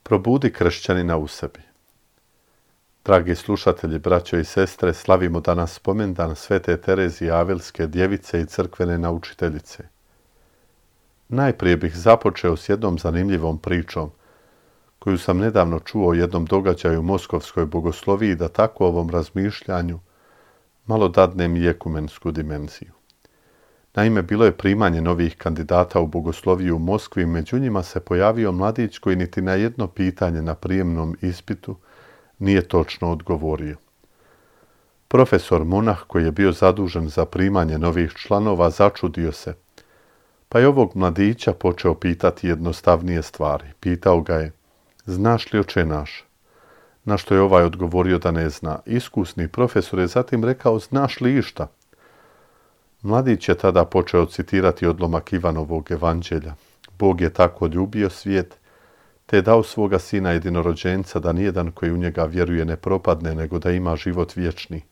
Probudi kršćanina u sebi. Dragi slušatelji, braćo i sestre, slavimo danas spomendan Svete Terezije Avilske, djevice i crkvene naučiteljice. Najprije bih započeo s jednom zanimljivom pričom, koju sam nedavno čuo o jednom događaju u Moskovskoj bogosloviji, da tako ovom razmišljanju malo dadnem i ekumensku dimenziju. Naime, bilo je primanje novih kandidata u bogosloviju u Moskvi, među njima se pojavio mladić koji niti na jedno pitanje na prijemnom ispitu nije točno odgovorio. Profesor monah, koji je bio zadužen za primanje novih članova, začudio se, pa je ovog mladića počeo pitati jednostavnije stvari. Pitao ga je: "Znaš li, oče naš?" Na što je ovaj odgovorio da ne zna. Iskusni profesor je zatim rekao: "Znaš li išta?" Mladić je tada počeo citirati odlomak Ivanovog evanđelja. Bog je tako ljubio svijet, te je dao svoga sina jedinorođenca, da nijedan koji u njega vjeruje ne propadne, nego da ima život vječni.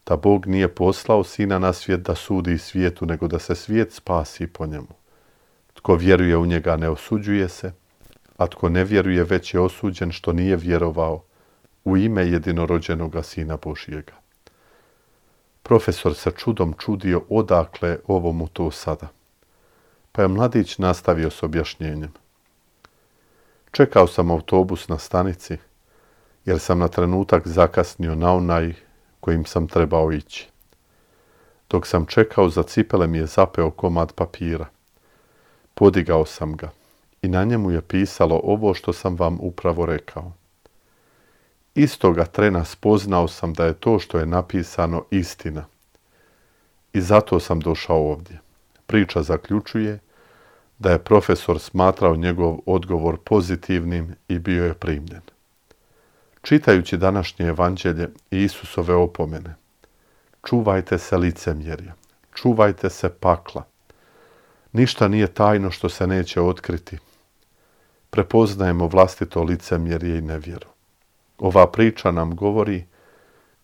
Da Bog nije poslao sina na svijet da sudi svijetu, nego da se svijet spasi po njemu. Tko vjeruje u njega ne osuđuje se, a tko ne vjeruje već je osuđen što nije vjerovao u ime jedinorođenoga sina Božjega. Profesor se čudom čudio odakle ovomu to sada. Pa je mladić nastavio s objašnjenjem. Čekao sam autobus na stanici, jer sam na trenutak zakasnio na onaj kojim sam trebao ići. Dok sam čekao, za cipele mi je zapeo komad papira. Podigao sam ga i na njemu je pisalo ovo što sam vam upravo rekao. Istoga trena spoznao sam da je to što je napisano istina. I zato sam došao ovdje. Priča zaključuje da je profesor smatrao njegov odgovor pozitivnim i bio je primljen. Čitajući današnje evanđelje i Isusove opomene: čuvajte se licemjerja, čuvajte se pakla. Ništa nije tajno što se neće otkriti. Prepoznajemo vlastito licemjerje i nevjeru. Ova priča nam govori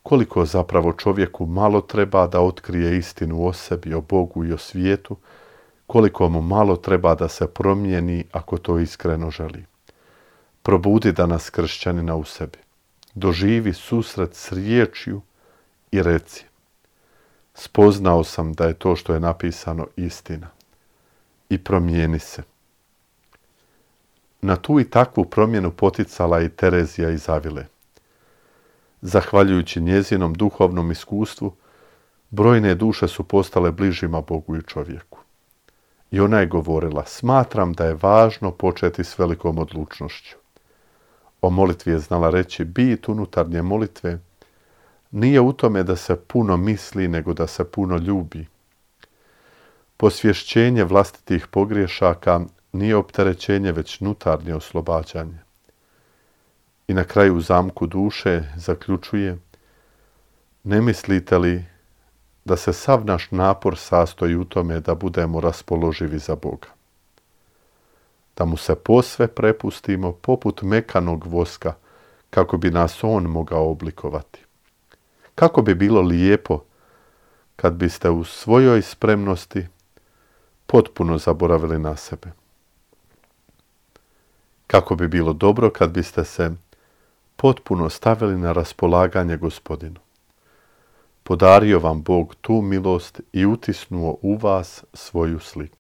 koliko zapravo čovjeku malo treba da otkrije istinu o sebi, o Bogu i o svijetu, koliko mu malo treba da se promijeni ako to iskreno želi. Probudi danas kršćanina u sebi. Doživi susret s riječju i reci: spoznao sam da je to što je napisano istina. I promijeni se. Na tu i takvu promjenu poticala i Terezija iz Avile. Zahvaljujući njezinom duhovnom iskustvu, brojne duše su postale bližima Bogu i čovjeku. I ona je govorila: smatram da je važno početi s velikom odlučnošću. O molitvi je znala reći: bit unutarnje molitve nije u tome da se puno misli, nego da se puno ljubi. Posvješćenje vlastitih pogriješaka nije opterećenje, već unutarnje oslobađanje. I na kraju u zamku duše zaključuje: ne mislite li da se sav naš napor sastoji u tome da budemo raspoloživi za Boga? Da mu se posve prepustimo poput mekanog voska, kako bi nas on mogao oblikovati. Kako bi bilo lijepo kad biste u svojoj spremnosti potpuno zaboravili na sebe. Kako bi bilo dobro kad biste se potpuno stavili na raspolaganje Gospodinu. Podario vam Bog tu milost i utisnuo u vas svoju sliku.